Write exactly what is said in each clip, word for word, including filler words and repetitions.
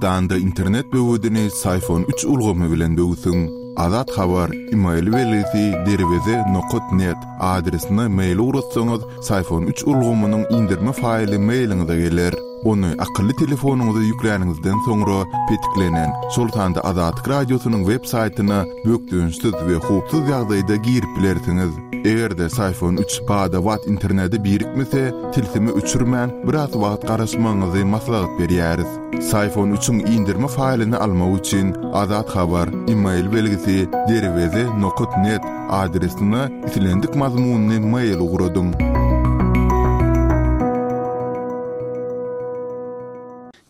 Türkmenistanda internet böwedini Syfon üç ulgamy bilen böwsüň. Azat Habar, email belgisi derweze nokat net adresine mail ugratsaňyz, Syfon üç ulgamynyň indirme faýly mailiňize geler. Ony akylly telefonyňyza ýükläniňizden soňra petiklenen, şol sanda Azatlyk Radiosynyň web saýtyna bökdençsiz we howpsuz ýagdaýda girip bilersiňiz. Eger-de Syfon üç bada-bat internete birikmese, tilsimi öçürmän biraz wagt garaşmagyňyzy maslahat berýäris. Syfon üçiň indirme faýlyny almak üçin Azat Habar, email belgisi derweze nokat net adresine islendik mazmunyny mail ugradyň.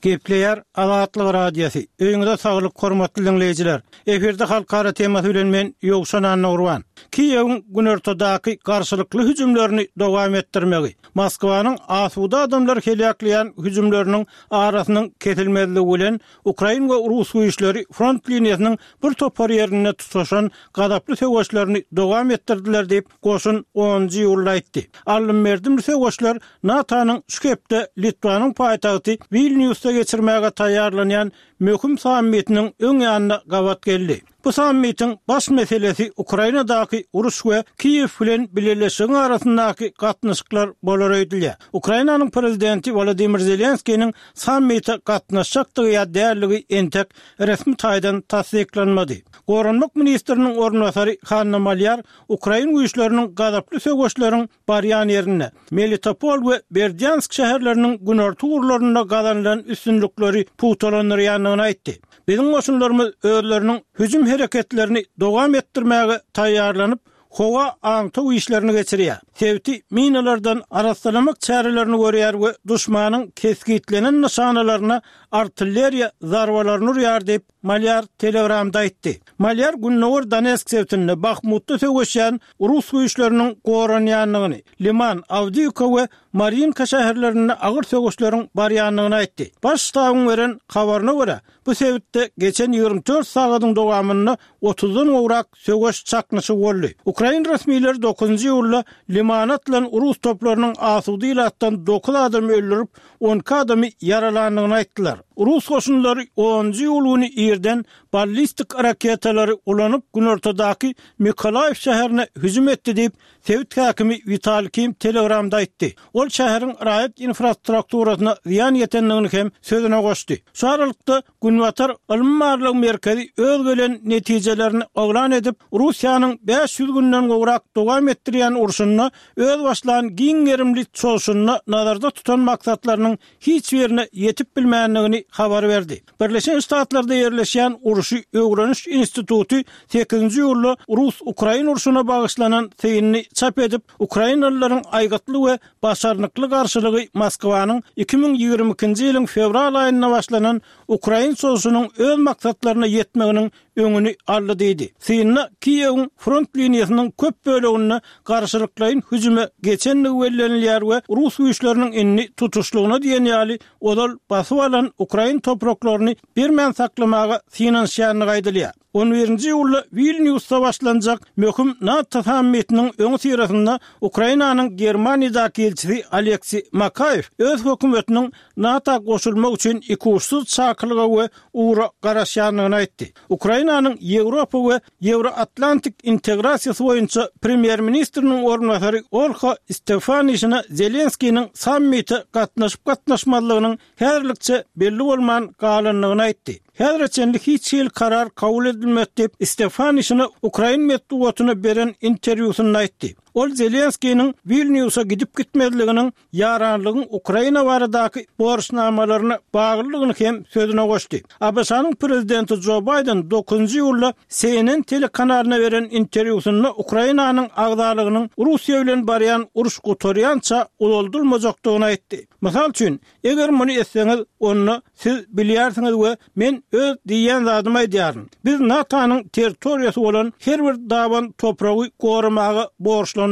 Gepleýär Azatlyk Radiosy. Öýüňize saglyk hormatly dinleýjiler. Efirde halkara temasy bilen men Ýowşan Annagurban. Kiýewiň günortadaky garşylykly hüjümlerini dowam etdirmegi, Moskwanyň asuda adamlar heläkleýän hüjümleriniň arasynyň kesilmezligi bilen Ukraina we Rus güýçleri front liniýasynyň bir topar ýerinde tutaşan gazaply söweşlerini dowam etdirdiler diýip goşun onunjy iýulda aýtdy. Alym-merdimli söweşler NATO-nyň şu hepde Litwanyň paýtagty Vilniusda geçirmäge taýýarlanýan möhüm sammitiniň öň ýanyna gabat geldi. Bu sammitiň baş meselesi Ukrainadaky uruş we Kiýew bilen bileleşigiň arasyndaky gatnaşyklar bolar öýdülýär. Ukrainanyň prezidenti Volodymyr Zelenskiniň sammite gatnaşjakdygy ýa dälligi entek resmi taýdan tassyklanmady. Goranmak ministriniň orunbasary Hanna Malýar Ukrain güýçleriniň gazaply söweşleriň barýan ýerinde Melitopol we Berdyansk şäherleriniň günorta ugurlarynda gazanylan üstünlikleri pugtalandyrýandygyny aýtdy. Biziň goşunlarymyz özleriniň hüjüm hereketlerini dowam etdirmäge taýýarlanyp, howa aňtaw işlerini geçirýär. Sebiti minalardan arassalamak çärelerini görýär we duşmanyň kesgitlenen nyşanalaryna artilleriýa zarbalaryny urýar diýip Malýar Telegramda aýtdy. Malýar Gündogar Donetsk sebitinde Bahmutda söweşýän Rus güýçleriniň goranýandygyny, Liman, Awdiýewka we Marinka şäherlerinde agyr söweşleriň barýandygyny aýtdy. Baş ştabyň beren habaryna görä, bu sebitde geçen ýigrimi dört sagadyň dowamynda otuzdan gowrak söweş çaknyşygy boldy. Ukrain resmileri dokuzynjy iýulda Limana atylan Rus toplarynyň asuda ilatdan dokuz adamy öldürip, on iki adamy ýaralandygyny aýtdylar. Rus goşunlary onunjy iýul güni irden ballistik raketalary ulanyp günortadaky Mikolaýew şäherine hüjüm etdi diýip, sebit häkimi Witaliý Kim Telegramda aýtdy. Ol şäheriň raýat infrastrukturasyna zyýan ýetendigini hem sözüne goşdy. Şu aralykda Günbatar ylmy-barlag merkezi öz gelen netijelerini yglan edip, Russiýanyň bäş ýüz günden gowrak dowam etdirýän urşunda öz başlan giň gerimli çozuşynda nazarda tutan maksatlarynyň hiç birine ýetip bilmändigini habar berdi. Birleşen Ştatlarda ýerleşýän Urşy öwreniş instituty sekizinji iýulda Rus-Ukrain urşuna bagyşlanan synyny çap edip, Ukrainalylaryň aýgytly we başarnykly garşylygy Moskwanyň iki müň ýigrimi ikinji ýylyň fewral aýynda başlanan Ukrain çozuşynyň öz maksatlaryna ýetmeginiň öňüni aldy diýdi. Synda Kiýewiň front liniýasynyň köp böleginde garşylyklaýyn hüjüme geçendigi bellenilýär we Rus güýçleriniň indi tutuşlygyna diýen ýaly ozal basyp alan Ukrain topraklaryny bermän saklamaga synanyşýandygy aýdylýar. On birinji iýulda Wilniusda başlanjak möhüm NATO sammitiniň öňüsyrasynda Ukrainanyň Germaniýadaky ilçisi Aleksiý Makaýew öz hökümetiniň NATO goşulmak üçin ikuçsuz çakylyga we ugra garaşýandygyny aýtdy. Ukrainanyň Ýewropa we Ýewroatlantik integrasiýasy boýunça premýer-ministriniň orunbasary Olha Stefanişina Zelenskiniň sammite gatnaşyp-gatnaşmazlygynyň häzirlikçe belli bolman galandygyny aýtdy. Häzire çenli hiç hili karar kabul edilmedi diýip, Stefanişina Ukrain metbugatyna beren interwýusynda aýtdy. Ol Zelenskiniň Wilniusa gidip gitmezliginiň ýaranlygyň Ukraina baradaky borçnamalaryna baglydygyny hem sözüne goşdy. A B Ş-nyň prezidenti Jo Baýden dokuzynjy iýulda C N N telekanalyna beren interwýusynda Ukrainanyň agzalygynyň Russiýa bilen barýan uruş gutarýança uzaldylmajakdygyny aýtdy. Mysal üçin, eger muny etseňiz, onda siz bilýärsiňiz we men öz diýýän zadymy aýdýaryn. Biz NATO-nyň territoriýasy bolan her bir daban topragy goramaga borçlandyk.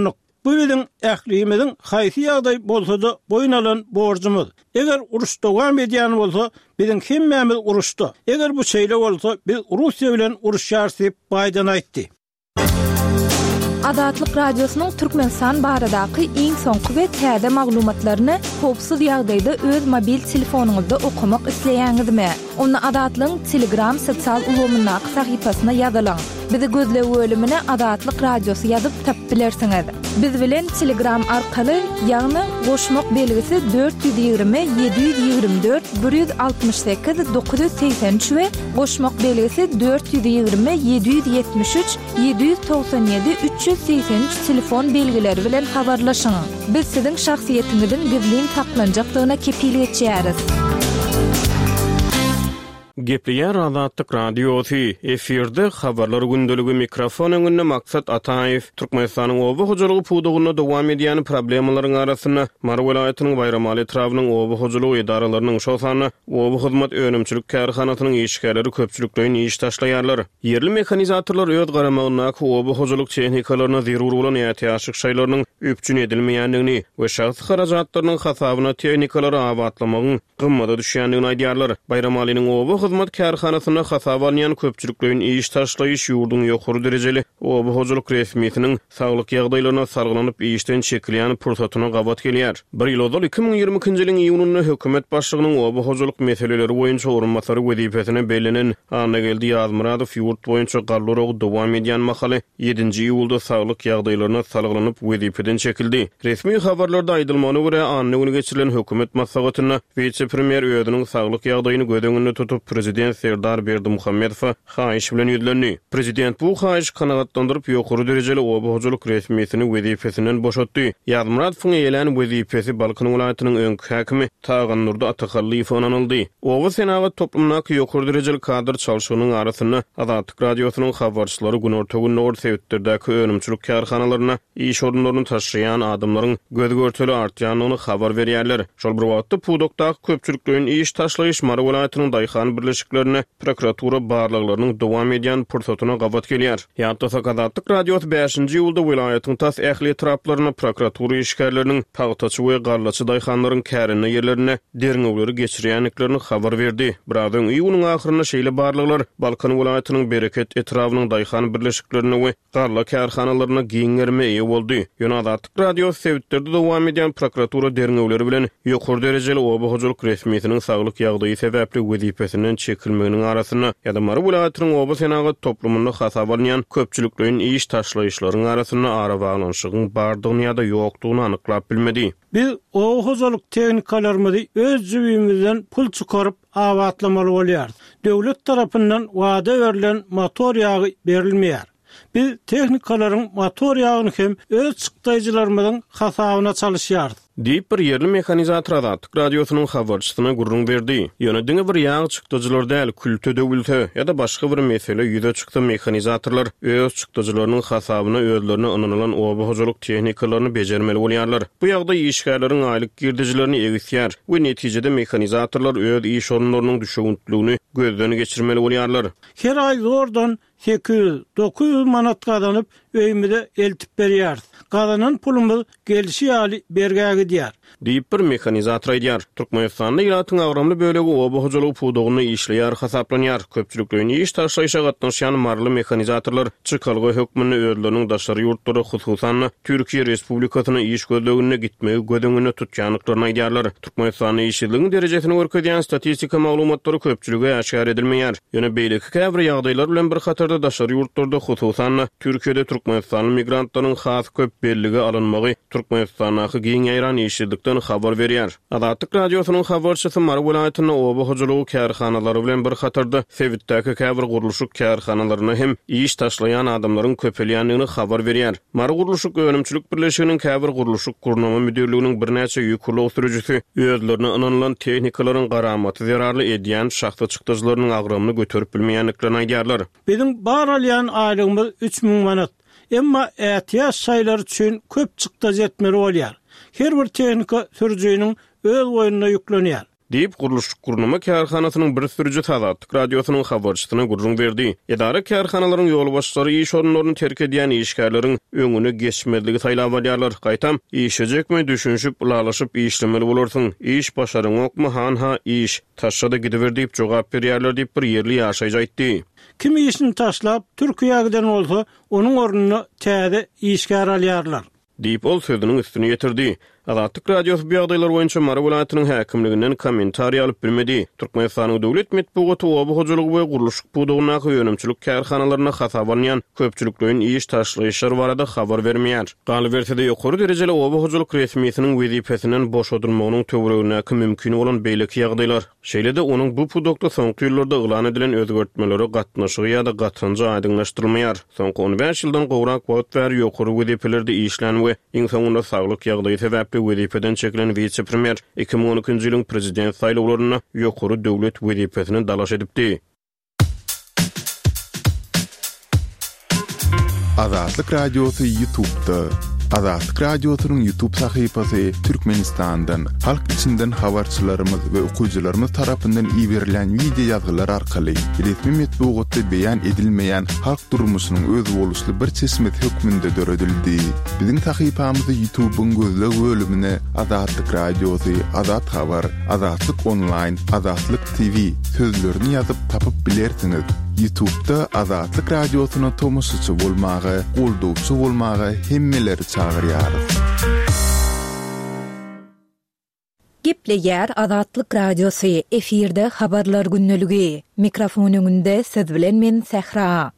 Bu biziň ählimiziň haýsy ýagdaý bolsa-da boýun alan borjumyz. Eger uruş dowam edýän bolsa, biziň hemmämiz uruşda. Eger bu şeýle bolsa, biz Russiýa bilen uruşýarys diýip Baýden aýtdy. Azatlyk Radiosynyň Türkmenistan baradaky iň soňky we täze maglumatlaryny howpsuz ýagdaýda öz mobil telefonyňyzda okamak isleýäňizmi? Onda Azatlygyň Telegram sosial ulgamyndaky sahypasyna ýazylyň. Bizi gözleg bölümine Azatlyk Radiosy ýazyp tapyp bilersiňiz. Biz bilen Telegram arkaly, ýagny goşmak belgisi dört ýüz ýigrimi ýedi ýüz ýigrimi dört bir ýüz altmyş sekiz dokuz ýüz segsen üç we goşmak belgisi dört ýüz ýigrimi ýedi ýüz ýetmiş üç ýedi ýüz togsan ýedi üç ýüz segsen üç telefon belgileri bilen habarlaşyň. Biz siziň şahsyýetiňiziň gizlin saklanjakdygyna kepil geçýäris. Gepleýär Azatlyk Radiosy, efirde habarlar gündeligi, mikrofon öňünde Maksat Ataýew. Türkmenistanyň oba hojalygy pudagynda dowam edýän problemalaryň arasynda Mary welaýatynyň Baýramaly etrabynyň oba hojalygy edaralarynyň, şol sanda Oba hyzmat önümçilik kärhanasynyň işgärleri köpçülikleýin iş taşlaýarlar. Ýerli mehanizatorlar öz garamagyndaky oba hojalyk tehnikalaryna zerur bolan ätiýaçlyk şaýlarynyň üpjün edilmeýändigini we şahsy harajatlarynyň hasabyna tehnikalary abatlamagyň gymmada düşýändigini aýdýarlar. Baýramalynyň oba hyzmat kärhanasynda hasaba alynýan köpçülikleýin iş taşlaýyş ýurduň ýokary derejeli oba hojalyk resmisiniň saglyk ýagdaýlaryna salgylanyp işden çekilýän pursatyna gabat gelýär. Bir ýyl ozal iki müň ýigrimi ikinji ýylyň iýunynda hökümet başlygynyň oba hojalyk meseleleri boýunça orunbasary wezipesine bellenen Annageldi Ýazmyradow ýurt boýunça galla oragy dowam edýän mahaly ýedinji iýulda saglyk ýagdaýlaryna salgylanyp wezipeden çekildi. Resmi habarlarda aýdylmagyna görä, anna güni geçirilen hökümet maslahatynda wise-premýer özüniň saglyk ýagdaýyny göz öňünde tutup, prezident Serdar Berdimuhamedowa haýyş bilen ýüzlendi. Prezident bu haýyşy kanagatlandyryp, ýokary derejeli oba hojalyk resmisini wezipesinden boşatdy. Ýazmyradowyň eýelän wezipesi Balkan welaýatynyň öňki häkimi Tagandurdy Atahallyýewe ynanyldy. Oba senagat toplumyndaky ýokary derejeli kadr çalşygynyň arasynda Azatlyk Radiosynyň habarçylary günorta-gündogar sebitlerdäki önümçilik kärhanalarynda iş orunlaryny taşlaýan adamlaryň göz-görtele artýandygyny habar berýärler. Şol bir wagtda pudakdaky köpçülikleýin iş taşlaýyş Mary welaýatynyň daýhan birleşiklerinde prokuratura barlaglarynyň dowam edýän pursatyna gabat gelýär. Ýatlasak, Azatlyk Radiosy bäşinji iýulda welaýatyň tas ähli etraplarynda prokuratura işgärleriniň pagtaçy we gallaçy daýhanlaryň kärende ýerlerinde derňewleri geçirýändiklerini habar berdi. Biraz öň iýunyň ahyrynda şeýle barlaglar Balkan welaýatynyň Bereket etrabynyň daýhan birleşiklerinde we galla kärhanalarynda giň gerime eýe boldy. Ýöne Azatlyk Radiosy sebitlerde dowam edýän prokuratura derňewleri bilen ýokary derejeli oba hojalyk resmisiniň saglyk ýagdaýy sebäpli wezipesinden çekilmeginiň arasynda ýa-da Mary welaýatynyň oba senagat toplumynda hasaba alynýan köpçülikleýin iş taşlaýyşlaryň arasynda arabaglanyşygyň bardygyny ýa-da ýokdugyny anyklap bilmedi. Biz oba hojalyk tehnikalarymyzy öz jübimizden pul çykaryp abatlamaly bolýarys. Döwlet tarapyndan wada berlen motor ýagy berilmeýär. Biz tehnikalaryň motor ýagyny hem öz çykdaýjylarymyzyň hasabyna çalyşýarys. Diýip bir ýerli mehanizator Azatlyk Radiosynyň habarçysyna gürrüň berdi. Ýöne diňe bir ýag çykdajylar däl, külte döwülse ýa-da başga bir mesele ýüze çyksa mehanizatorlar öz çykdajylarynyň hasabyna özlerine ynanylan oba hojalyk tehnikalaryny bejermeli bolýarlar. Bu ýagdaý işgärleriň aýlyk girdejilerini egisýär we netijede mehanizatorlar öz iş orunlarynyň düşewüntligini gözden geçirmeli bolýarlar. Her aý zordan sekiz ýüz, dokuz ýüz manat gazanyp öýümize eltip berýäris. Gazanan pulumyz gelşi ýaly bergä gidýär. Diýip bir mehanizator aýdýar. Türkmenistanda ilatyň agramly bölegi oba hojalygy pudagynda işleýär hasaplanýar. Köpçülikleýin iş taşlaýşa gatnaşýan maryly mehanizatorlar çykalga hökmünde özleriniň daşary ýurtlara, hususan-da Türkiýe Respublikasyna iş gözleginde gitmegi göz öňünde tutýandyklaryny aýdýarlar. Türkmenistanda işsizligiň derejesini görkezýän statistika maglumatlary köpçülige äşgär edilmeýär. Ýöne beýleki käbir ýagdaýlar bilen bir hatarda daşary ýurtlarda, hususan-da Türkiýede türkmenistanly migrantlaryň has köp bellige alynmagy Türkmenistandaky giň ýaýran işsizlikden habar berýär. Azatlyk Radiosynyň habarçysy Mary welaýatynda oba hojalygy kärhanalary bilen bir hatarda sebitdäki käbir gurluşyk kärhanalaryna hem iş taşlaýan adamlaryň köpelýändigini habar berýär. Mary gurluşyk önümçilik birleşiginiň käbir gurluşyk gurnama müdirliginiň birnäçe ýük ulag sürüjisi özlerine ynanylan tehnikalaryň garamaty zerarly edýän şahsy çykdajylarynyň agramyny göterip bilmeýändiklerini aýdýarlar. Biziň bar alýan aýlygymyz üç müň manat. Emma ätiýaç şaýlary üçin köp çykdajy etmeli bolýar. Her bir tehnika sürüjiniň öz boýnuna ýüklenýär. Diýip, gurluşyk-gurnama kärhanasynyň bir sürüjisi Azatlyk Radiosynyň habarçysyna gürrüň berdi. Edara-kärhanalaryň ýolbaşçylary iş orunlaryny terk edýän işgärleriň öňüne geçmezligi saýlap alýarlar. Gaýtam, işlejekmi, düşünişip, ylalaşyp işlemeli bolarsyň, iş başaryňokmy, hanha, iş, taşla-da gidiber diýip jogap berýärler diýip, bir ýerli ýaşaýjy aýtdy. Kim işini taşlap, Türkiýä giden bolsa, onuň ornuna täze işgär alýarlar. Diýip, ol sözüniň üstüni ýetirdi. Azatlyk Radiosy bu ýagdaýlar boýunça Mary welaýatynyň häkimliginden kommentariý alyp bilmedi. Türkmenistanyň döwlet metbugaty oba hojalygy we gurluşyk pudagyndaky önümçilik kärhanalarynda hasaba alynýan köpçülikleýin iş taşlaýyşlar barada habar bermeýär. Galyberse-de, ýokary derejeli oba hojalyk resmisiniň wezipesinden boşadylmagynyň töweregindäki mümkin bolan beýleki ýagdaýlar, şeýle-de onuň bu pudakda soňky ýyllarda yglan edilen özgertmelere gatnaşygy ýa-da gatanjy aýdyňlaşdyrylmaýar. Soňky on bäş ýyldan gowrak wagt bäri ýokary wezipelerde işlän we iň soňunda saglyk ýagdaýy sebäpli wezipeden çekilen wise-premýer iki müň on ikinji ýylyň prezident saýlawlarynda ýokary döwlet wezipesine dalaş edipdi. Azatlyk Radiosy YouTube'da. Azatlyk Radiosynyň YouTube sahypasy Türkmenistandan, halk içinden habarçylarymyz we okyjylarymyz tarapyndan iberilen wideo ýazgylar arkaly resmi metbugatda beýan edilmeýän halk durmuşynyň özboluşly bir çeşmesi hökmünde döredildi. Biziň sahypamyzy YouTube'yň gözleg bölümine Azatlyk Radiosy, Azat Habar, Azatlyk Online, Azatlyk T V sözlerini ýazyp tapyp bilersiňiz. YouTube'da Azatlyk Radiosyna tomaşaçy bolmaga, goldawçy bolmaga hemmeleri çagyrýarys. Gepleýär Azatlyk Radiosy, efirde habarlar gündeligi. Mikrofon öňünde siz bilen men Sähra.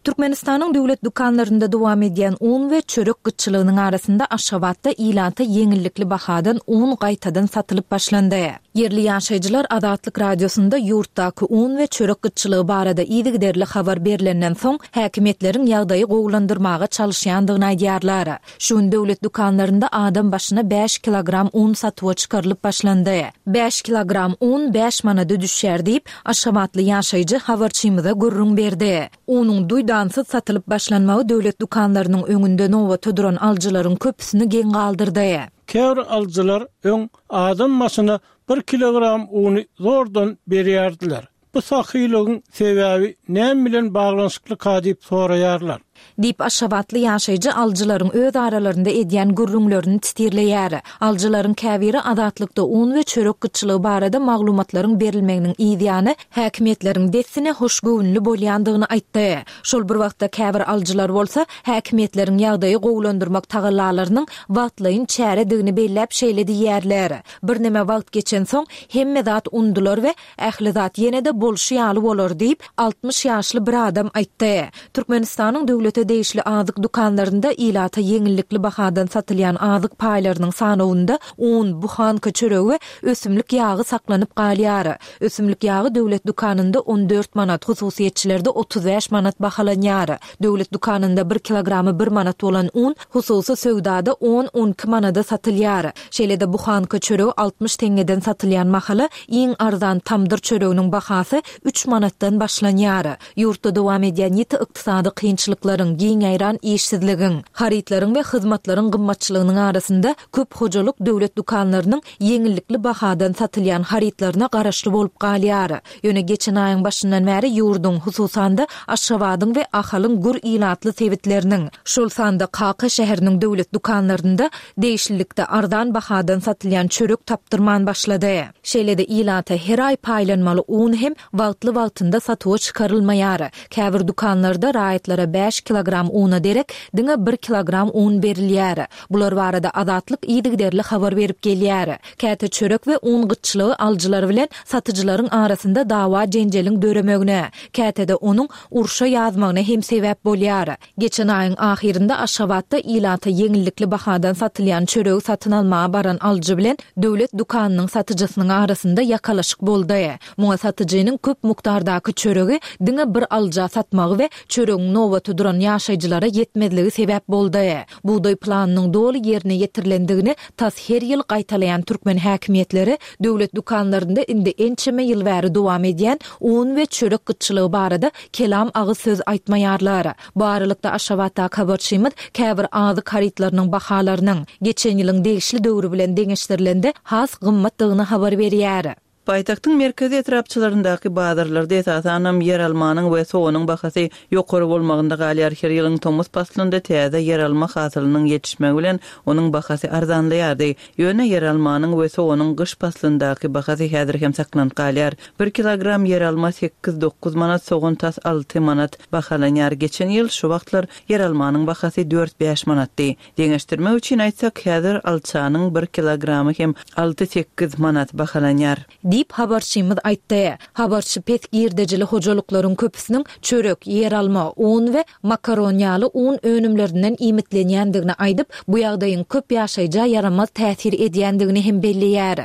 Türkmenistanyň döwlet dükanlarynda dowam edýän un we çörek gytçylygynyň arasynda Aşgabatda ilata ýeňillikli bahadan un gaýtadan satylyp başlandy. Ýerli ýaşaýjylar Azatlyk Radiosynda ýurtdaky un we çörek gytçylygy barada yzygiderli habar berlenden soň häkimiýetleriň ýagdaýy gowulandyrmaga çalyşýandygyny aýdýarlar. Şu gün döwlet dükanlarynda adam başyna bäş kilogram un satuwa çykarylyp başlandy. Bäş kilogram un bäş manada düşýär diýip, Aşgabatly ýaşaýjy habarçymyza gürrüň berdi. Unuň duýdansyz satylyp başlanmagy döwlet dükanlarynyň öňünde nobata duran alyjylaryň köpüsini geň galdyrdy. Käbir alyjylar öň adam başyna bir kilogram uny zordan berýärdiler. Bu sahylygyň sebäbi näme bilen baglanyşykly diýip soraýarlar. Diýip Aşgabatly ýaşaýjy alyjylaryň öz aralarynda edýän gürrüňlerini titirleýär. Alyjylaryň käbiri Azatlykda un we çörek gytçylygy barada maglumatlaryň berilmeginiň ýany häkimiýetleriň dessine hoşgöwünli bolýandygyny aýtdy. Şol bir wagtda käbir alyjylar bolsa häkimiýetleriň ýagdaýy gowulandyrmak tagallalarynyň wagtlaýyn çäredigini belläp şeýle diýýärler. Birneme wagt geçen soň hemme zat undular we ähli zat ýene-de bolşy ýaly bolar diýip altmyş ýaşly bir adam aýtdy. Türkmenistanyň döwlete degişli azyk dükanlarynda ilata ýeňillikli bahadan satylýan azyk paýlarynyň sanawynda un, buhanka çöregi we ösümlik ýagy saklanyp galýar. Ösümlik ýagy döwlet dükanynda on dört manat, hususyýetçilerde otuz bäş manat bahalanýar. Döwlet dükanynda bir kilogramy bir manat bolan un hususy söwdada on-on iki manada satylýar. Şeýle-de buhanka çöregi altmyş teňňeden satylýan mahaly iň arzan tamdyr çöreginiň bahasy üç manatdan başlanýar. Ýurtda dowam edýän ýiti ykdysady kynçylyklaryň, giň ýaýran işsizligiň, harytlaryň we hyzmatlaryň gymmatçylygynyň arasynda köp hojalyk döwlet dükanlarynyň ýeňillikli bahadan satylýan harytlaryna garaşly bolup galýar. Ýöne geçen aýyň başyndan bäri ýurduň, hususan-da Aşgabadyň we Ahalyň gür ilatly sebitleriniň, şol sanda Kaka şäheriniň döwlet dükanlarynda degişlilikde arzan bahadan satylýan çörek tapdyrman başlady. Şeýle-de ilata her aý paýlanmaly un hem wagtly-wagtynda satuwa çykarylmaýar. Käbir dükanlarda raýatlara bäş kilogram una derek diňe bir kilogram un berilýär. Bular barada Azatlyk yzygiderli habar berip gelýär. Käte çörek we un gytçylygy alyjylar bilen satyjylaryň arasynda dawa jenjeliň döremegine, käte-de onuň urşa ýazmagyna hem sebäp bolýar. Geçen aýyň ahyrynda Aşgabatda ilata ýeňillikli bahadan satylýan çöregi satyn almaga baran alyjy bilen döwlet dükanynyň satyjysynyň arasynda ýakalaşyk boldy. Muňa satyjynyň köp mukdardaky çöregi diňe bir alyja satmagy we çöregiň nobaty duran ýaşaýjylara ýetmezligi sebäp boldy. Bugdaý planynyň doly ýerine ýetirilendigini tas her ýyl gaýtalaýan türkmen häkimiýetleri döwlet dükanlarynda indi ençeme ýyl bäri dowam edýän un we çörek gytçylygy barada kelam agyz söz aýtmaýarlar. Bu aralykda Aşgabatdaky habarçymyz käbir azyk harytlarynyň bahalarynyň geçen ýylyň degişli döwri bilen deňeşdirilende has gymmatdygyny habar berýär. Paýtagtyň merkezi etrapçalaryndaky bazarlarda esasanam ýeralmanyň we soganyň bahasy ýokary bolmagynda galýar. Her ýylyň tomus paslynda täze ýeralma hasylynyň ýetişmegi bilen onuň bahasy arzanlaýardy. Ýöne ýeralmanyň we soganyň gyş paslyndaky bahasy häzir hem saklanyp galýar. Bir kilogram ýeralma sekiz-dokuz manat, sogan tas alty manat bahalanýar. Geçen ýyl şu wagtlar ýeralmanyň bahasy dört-bäş manatdy. Deňeşdirmek üçin aýtsak, häzir alçanyň bir kilogramy hem alty-sekiz manat bahalanýar. Diýip, habarçymyz aýtdy. Habarçy pes girdejili hojalyklaryň köpüsiniň çörek, ýeralma, un we makaron ýaly un önümlerinden iýmitlenýändigini aýdyp, bu ýagdaýyň köp ýaşaýja ýaramaz täsir edýändigini hem belleýär.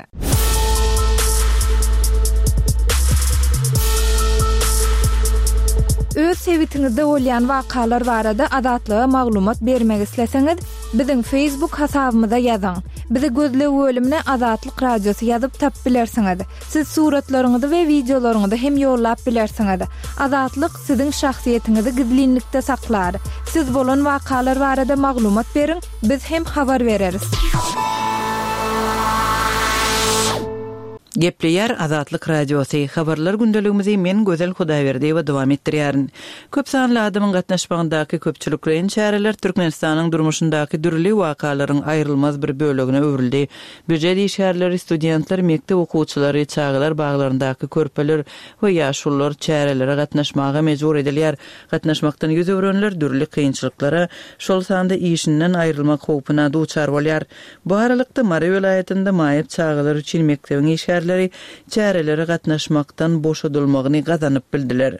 Öz sebitiňizde bolýan wakalar barada Azatlyga maglumat bermek isleseňiz, biziň Facebook hasabymyza ýazyň. Bizi gözleg bölümine Azatlyk Radiosy ýazyp tapyp bilersiňiz. Siz suratlaryňyzy we wideolaryňyzy hem ýollap bilersiňiz. Azatlyk siziň şahsyýetiňizi gizlinlikde saklar. Siz bolan wakalar barada maglumat beriň, biz hem habar bereris. Gepleýär Azatlyk Radiosy. Habarlar gündeligimizi men Gözel Hudaýberdiýewa dowam etdirýärin. Köp sanly adamyň gatnaşmagyndaky köpçülikleýin çäreler Türkmenistanyň durmuşyndaky dürli wakalaryň aýrylmaz bir bölegine öwrüldi. Býujet işgärleri, studentler, mekdep okuwçylary, çagalar baglaryndaky körpeler we ýaşulular çärelere gatnaşmaga mejbur edilýär. Gatnaşmakdan ýüz öwrenler dürli kynçylyklara, şol sanda işinden aýrylmak howpuna duçar bolýar. Bu aralykda Mary welaýatynda maýyp çagalar üçin mekdebiň işgärleri çärelere gatnaşmakdan boşadylmagyny gazanyp bildiler.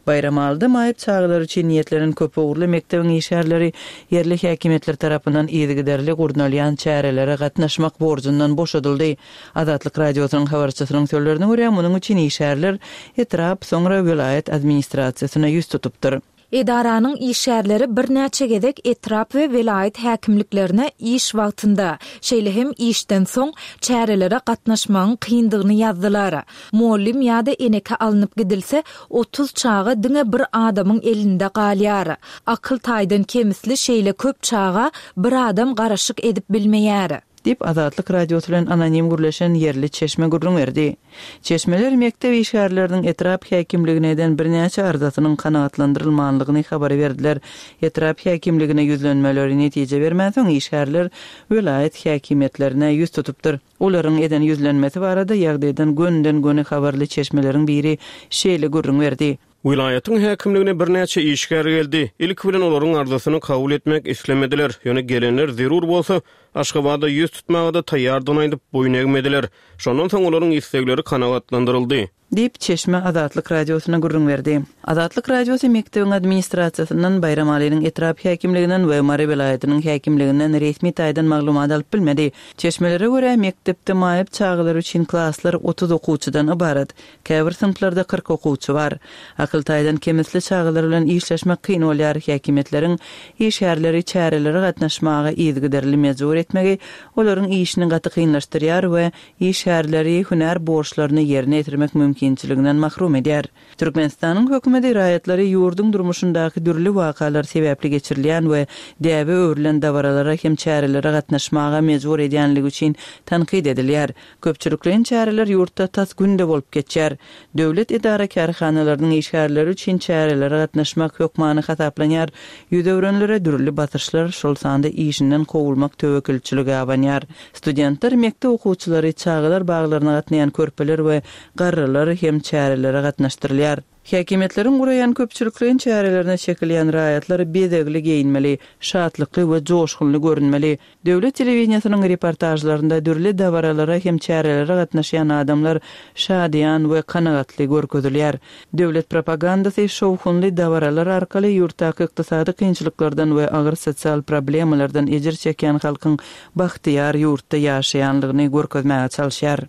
Baýramalyda maýyp çagalar üçin niýetlenen köpugurly mekdebiň işgärleri ýerli häkimiýetler tarapyndan yzygiderli gurnalýan çärelere gatnaşmak borjundan boşadyldy. Azatlyk Radiosynyň habarçysynyň sözlerine görä, munuň üçin işgärler etrap, soňra welaýat administrasiýasyna ýüz tutupdyr. Edaranyň işgärleri birnäçe gezek etrap we welaýat häkimliklerine iş wagtynda, şeýle hem işden soň çärelere gatnaşmagyň kyndygyny ýazdylar. Mugallym ýa-da eneke alnyp gidilse, otuz çaga diňe bir adamyň elinde galýar. Akyl taýdan kemisli şeýle köp çaga bir adam garaşyk edip bilmeýär. Diýip, Azatlyk Radiosy bilen anonim gürleşen ýerli çeşme gürrüň berdi. Çeşmeler mekdep işgärleriniň etrap häkimligine eden birnäçe arzasynyň kanagatlandyrylmanlygyny habar berdiler. Etrap häkimligine ýüzlenmeleri netije bermänsoň işgärler welaýat häkimiýetlerine ýüz tutupdyr. Olaryň eden ýüzlenmesi barada ýagdaýdan gönden-göni habarly çeşmeleriň biri şeýle gürrüň berdi. Welaýatyň häkimligine birnäçe işgär geldi. Ilki bilen olaryň arzasyny kabul etmek islemediler. Ýöne gelenler zerur bolsa Aşgabada ýüz tutmaga da taýýardygyny aýdyp boýun egmediler. Şondan soň olaryň islegleri kanagatlandyryldy. Diýip, çeşme Azatlyk Radiosyna gürrüň berdi. Azatlyk Radiosy mekdebiň administrasiýasyndan, Baýramalynyň etrap häkimliginden we Mary welaýatynyň häkimliginden resmi taýdan maglumat alyp bilmedi. Çeşmelere görä, mekdepde maýyp çagalar üçin klaslar otuz okuwçydan ybarat. Käbir synplarda kyrk okuwçy bar. Akyl taýdan kemisli çagalar bilen işleşmek kyn bolýar. Häkimiýetleriň işgärleri çärelere gatnaşmaga yzygiderli mejbur etmegi olaryň işini gaty kynlaşdyrýar we işgärleri hünär borçlaryny ýerine ýetirmek mümkinçiliginden mahrum edýär. Türkmenistanyň hökümeti raýatlary ýurduň durmuşyndaky dürli wakalar sebäpli geçirilýän we däbe öwrülen dabaralara hem çärelere gatnaşmaga mejbur edýänligi üçin tankyt edilýär. Köpçülikleýin çäreler ýurtda tas günde bolup geçýär. Döwlet edara kärhanalarynyň işgärleri üçin çärelere gatnaşmak hökmany hasaplanýar. Ýüz öwrenlere dürli basyşlar, şol sanda işinden kowulmak töwekgelçiligi abanýar. Studentler, mekdep okuwçylary, çagalar baglaryna gatnaýan körpeler we garrylar hem çärelere gatnaşdyrylýar. Häkimiýetleriň guraýan köpçülikleýin çärelerine çekilýän raýatlar bezegli geýinmeli, şatlykly we joşgunly görünmeli. Döwlet telewideniýesiniň reportažlarynda dürli dabaralara hem çärelere gatnaşýan adamlar şadyýan we kanagatly görkezilýär. Döwlet propagandasy şowhunly dabaralar arkaly ýurtdaky ykdysady kynçylyklardan we agyr sosial problemalardan ejir çekýän halkyň bagtyýar ýurtda ýaşaýanlygyny görkezmäge çalyşýar.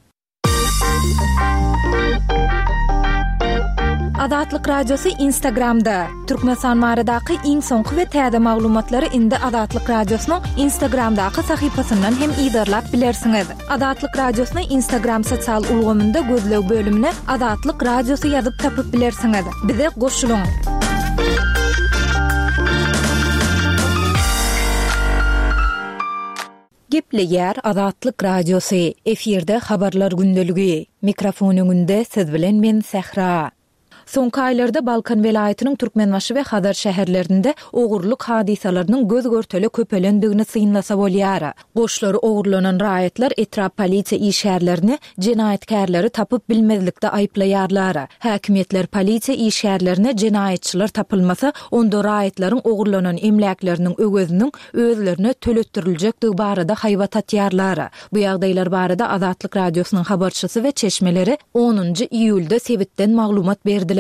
Azatlyk Radiosy Instagramda. Türkmenistan baradaky iň soňky we täze maglumatlary indi Azatlyk Radiosynyň Instagramdaky sahypasyndan hem yzarlap bilersiňiz. Azatlyk Radiosyny Instagram sosial ulgamynda gözleg bölümine Azatlyk Radiosy ýazyp tapyp bilersiňiz. Bize goşulyň. Gepleýär Azatlyk Radiosy, efirde Habarlar gündeligi. Mikrofon öňünde siz bilen men Sähra. Soňky aýlarda Balkan welaýatynyň Türkmenbaşy we Hazar şäherlerinde ogurlyk hadysalarynyň göz-görtele köpelendigini synlasa bolýar. Goşlary ogurlanan raýatlar etrap polisiýa işgärlerini jenaýatkärleri tapyp bilmezlikde aýyplaýarlar. Häkimiýetler polisiýa işgärlerine jenaýatçylar tapylmasa, onda raýatlaryň ogurlanan emläkleriniň öweziniň özlerine töletdiriljekdigi barada haýbat atýarlar. Bu ýagdaýlar barada Azatlyk Radiosynyň habarçysy we çeşmeleri onunjy iýulda sebitden maglumat berdiler.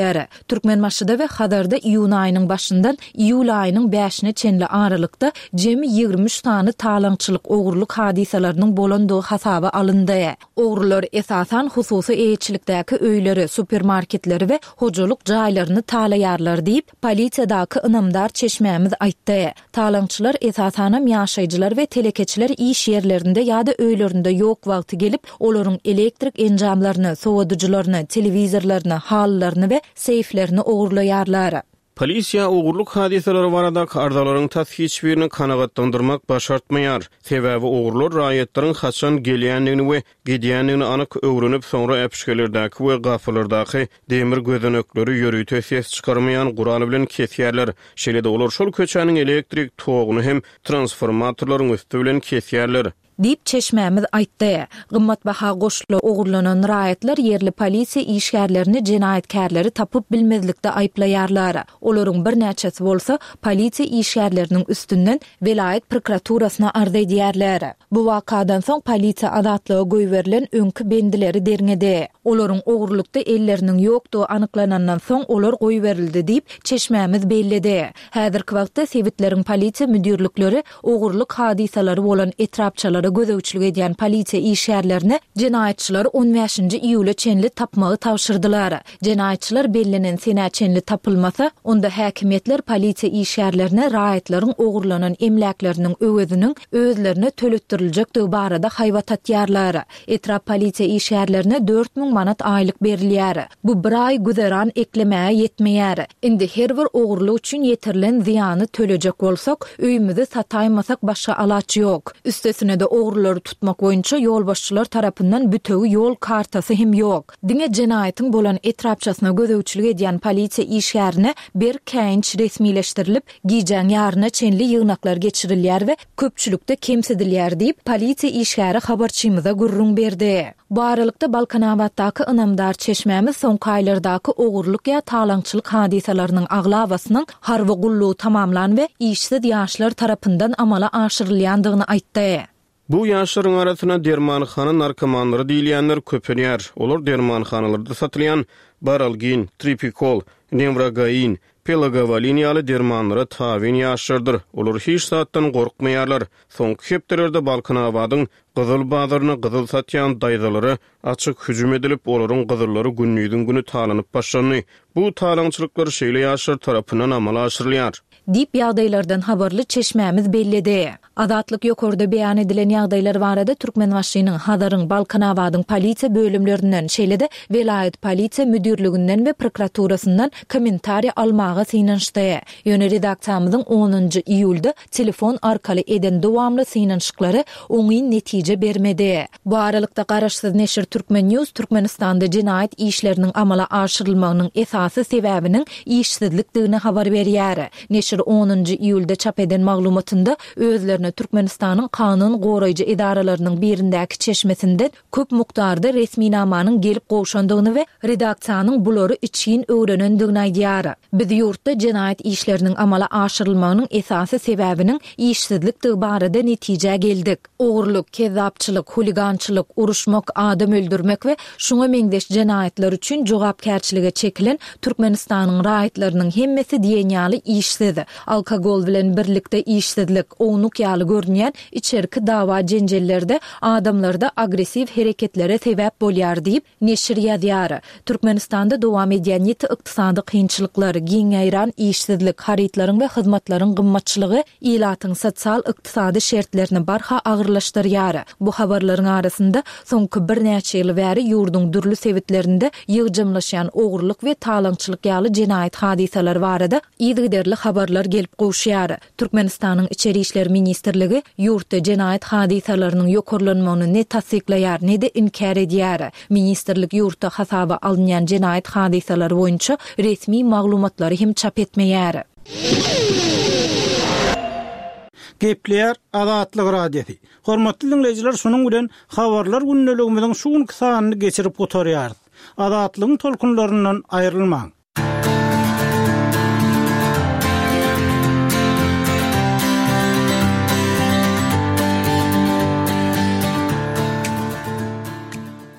Türkmenbaşyda we Hazarda iýun aýynyň başyndan iýul aýynyň bäşine çenli aralykda jemi ýigrimi üç sany talaňçylyk, ogurlyk hadysalarynyň bolandygy hasaba alyndy. Ogrular esasan hususy eýeçilikdäki öýleri, supermarketleri we hojalyk jaýlaryny talaýarlar diýip, polisiýadaky ynamdar çeşmämiz aýtdy. Talaňçylar esasanam ýaşaýjylar we telekeçiler iş ýerlerinde ýa-da öýlerinde ýok wagty gelip, olaryň elektrik enjamlaryny, sowadyjylaryny, telewizorlaryny, halylaryny we seýflerini ogurlaýarlar. Polisiýa ogurlyk hadysalary baradaky arzalaryň tas hiç birini kanagatlandyrmak başartmaýar. Sebäbi ogurlar raýatlaryň haçan gelýändigini we gidýändigini anyk öwrenip, soňra äpişgelerdäki we gapylardaky demir gözenekleri ýörite ses çykarmaýan gural bilen kesýärler. Şeýle-de olar şol köçäniň elektrik toguny hem transformatorlaryň üsti bilen kesýärler. Diýip, çeşmämiz aýtdy. Gymmatbaha goşly ogurlanan raýatlar ýerli polisiýa işgärlerini jenaýatkärleri tapyp bilmezlikde aýyplaýarlar. Olaryň birnäçesi bolsa polisiýa işgärleriniň üstünden welaýat prokuraturasyna arz edýärler. Bu wakadan soň polisiýa azatlyga goýberilen öňki bendileri derňedi. Olaryň ogurlykda elleriniň ýokdugy anyklanandan soň olar goýberildi diýip, çeşmämiz belledi. Häzirki wagtda sebitleriň polisiýa müdirlikleri ogurlyk hadysalary bolan etrapçalara gözegçilik edýän polisiýa işgärlerine jenaýatçylary on bäşinji iýula çenli tapmagy tabşyrdylar. Jenaýatçylar bellenen senä çenli tapylmasa, onda häkimiýetler polisiýa işgärlerine raýatlaryň ogurlanan emläkleriniň öweziniň özlerine töletdiriljekdigi barada haýbat atýarlar. Etrap polisiýa işgärlerine dört müň manat aýlyk berilýär. Bu bir aý güzeran eklemäge ýetmeýär. Indi her bir ogurlyk üçin ýetirilen zyýany tölejek bolsak, öýümizi sataýmasak başga alaç ýok. Üstesine-de ogrulary tutmak boýunça ýolbaşçylar tarapyndan bütewi ýol kartasy hem ýok. Diňe jenaýatyň bolan etrapçasyna gözegçilik edýän polisiýa işgärine bir käýinç resmileşdirilip, gijäň ýaryna çenli ýygnaklar geçirilýär we köpçülikde kemsidilýär diýip, polisiýa işgäri habarçymyza gürrüň berdi. Bu aralykda Balkanabatdaky ynamdar çeşmämiz soňky aýlardaky ogurlyk ýa talaňçylyk hadysalarynyň aglabasynyň harby gullugy tamamlan we işsiz ýaşlar tarapyndan amala aşyrylýandygyny aýtdy. Bu ýaşlaryň arasynda dermanhana narkomanlary diýilýänler köpelýär. Olar dermanhanalarda satylýan baralgin, tripikol, newrogain, pelagovalin ýaly dermanlara tabyn ýaşlardyr. Olar hiç zatdan gorkmaýarlar. Soňky hepdelerde Balkanabadyň gyzyl bazaryna gyzyl satýan daýzalara açyk hüjüm edilip, olaryň gyzyllary gündiziň güni talanyp başlandy. Bu talaňçylyklar şeýle ýaşlar tarapyndan amala aşyrylýar. Diýip ýagdaýlardan habarly çeşmämiz belledi. Azatlyk ýokarda beýan edilen ýagdaýlar barada Türkmenbaşynyň, Hazaryň, Balkanabadyň polisiýa bölümlerinden, şeýle-de welaýat polisiýa müdirliginden we prokuraturasyndan kommentariýa almaga synanyşdy. Ýöne redaksiýamyzyň onunjy iýulda telefon arkaly eden dowamly synanyşyklary oňyn netije bermedi. Bu aralykda garaşsyz neşir Türkmen News Türkmenistanda jenaýat işleriniň amala aşyrylmagynyň esasy sebäbiniň işsizlikdigini habar berýär. Neşir onunjy iýulda çap eden maglumatynda özlerine Türkmenistanyň kanun goraýjy edaralarynyň birindäki çeşmesinden köp mukdarda resminamanyň gelip gowşandygyny we redaksiýanyň bulary içgin öwrenendigini aýdýar. Biz ýurtda jenaýat işleriniň amala aşyrylmagynyň esasy sebäbiniň işsizlikdigi barada netijä geldik. Ogurlyk, kezzapçylyk, huligançylyk, uruşmak, adam öldürmek we şuňa meňzeş jenaýatlar üçin jogapkärçilige çekilen Türkmenistanyň raýatlarynyň hemmesi diýen ýaly işsiz, alkogol bilen birlikde işsizlik, ownuk ýaly görünýän içerki dawa jenjellerde adamlarda agressiw hereketlere sebäp bolýar diýip, neşir ýazýar. Türkmenistanda dowam edýän ýiti ykdysady kynçylyklar, giň ýaýran işsizlik, harytlaryň we hyzmatlaryň gymmatçylygy ilatyň sosial ykdysady şertlerini barha agyrlaşdyrýar. Bu habarlaryň arasynda soňky birnäçe ýyl bäri ýurduň dürli sebitlerinde ýygjamlaşýan ogurlyk we talaňçylyk ýaly jenaýat hadysalary barada yzygiderli habarlar habarlar gelip gowuşýar. Türkmenistanyň Içeri işler ministrligi ýurtda jenaýat hadysalarynyň ýokarlanmagyny ne tassyklaýar, ne-de inkär edýär. Ministrlik ýurtda hasaba alynýan jenaýat hadysalary boýunça resmi maglumatlary hem çap etmeýär. Gepleýär Azatlyk Radiosy. Hormatly diňleýjiler, şunuň bilen habarlar gündeligimiziň şu günki sanyny geçirip gutarýarys. Azatlygyň tolkunlaryndan aýrylmaň.